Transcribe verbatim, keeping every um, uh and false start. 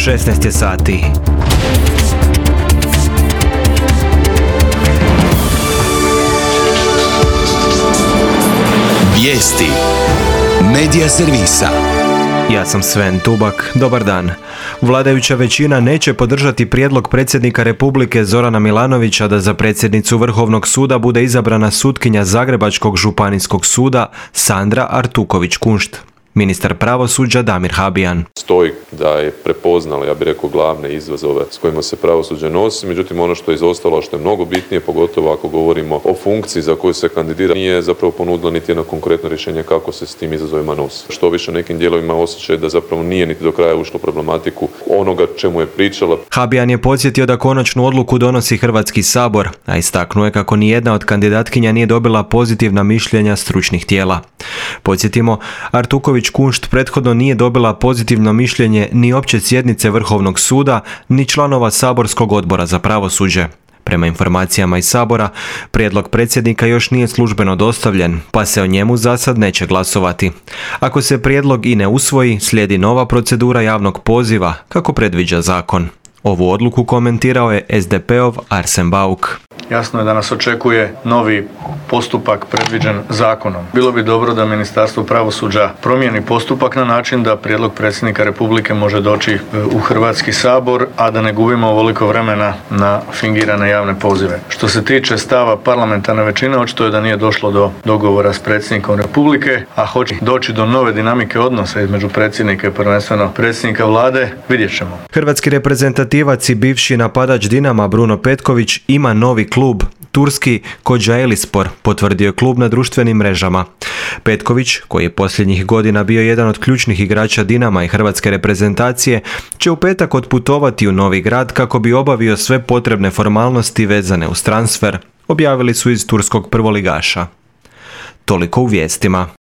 šesnaest je sati. Vijesti Medija servisa. Ja sam Sven Tubak, dobar dan. Vladajuća većina neće podržati prijedlog predsjednika Republike Zorana Milanovića da za predsjednicu Vrhovnog suda bude izabrana sutkinja Zagrebačkog županijskog suda Sandra Artuković-Kunšt. Ministar pravosuđa Damir Habijan. Stoji da je prepoznala, ja bih rekao, glavne izazove s kojima se pravosuđe nosi, međutim ono što je izostalo, što je mnogo bitnije, pogotovo ako govorimo o funkciji za koju se kandidira, nije zapravo ponudila niti jedno konkretno rješenje kako se s tim izazovima nosi. Što više nekim dijelovima osjećaj da zapravo nije niti do kraja ušlo problematiku onoga čemu je pričala. Habijan je podsjetio da konačnu odluku donosi Hrvatski sabor, a istaknuo je kako nijedna od kandidatkinja nije dobila pozitivna mišljenja stručnih tijela. Podsjetimo, Artuković-Kunšt prethodno nije dobila pozitivno mišljenje ni opće sjednice Vrhovnog suda, ni članova saborskog odbora za pravosuđe. Prema informacijama iz Sabora, prijedlog predsjednika još nije službeno dostavljen, pa se o njemu zasad neće glasovati. Ako se prijedlog i ne usvoji, slijedi nova procedura javnog poziva, kako predviđa zakon. Ovu odluku komentirao je es de pe-ov Arsen Bauk. Jasno je da nas očekuje novi postupak predviđen zakonom. Bilo bi dobro da Ministarstvo pravosuđa promijeni postupak na način da prijedlog predsjednika Republike može doći u Hrvatski sabor, a da ne gubimo ovoliko vremena na fingirane javne pozive. Što se tiče stava parlamentarne većine, očito je da nije došlo do dogovora s predsjednikom Republike, a hoće doći do nove dinamike odnosa između predsjednika i prvenstveno predsjednika vlade, vidjet ćemo. Hrvatski reprezentativac i bivši napadač Dinama Bruno Petković ima novi klub. Turski Kocaelispor, potvrdio je klub na društvenim mrežama. Petković, koji je posljednjih godina bio jedan od ključnih igrača Dinama i hrvatske reprezentacije, će u petak otputovati u Novi Grad kako bi obavio sve potrebne formalnosti vezane uz transfer, objavili su iz turskog prvoligaša. Toliko u vijestima.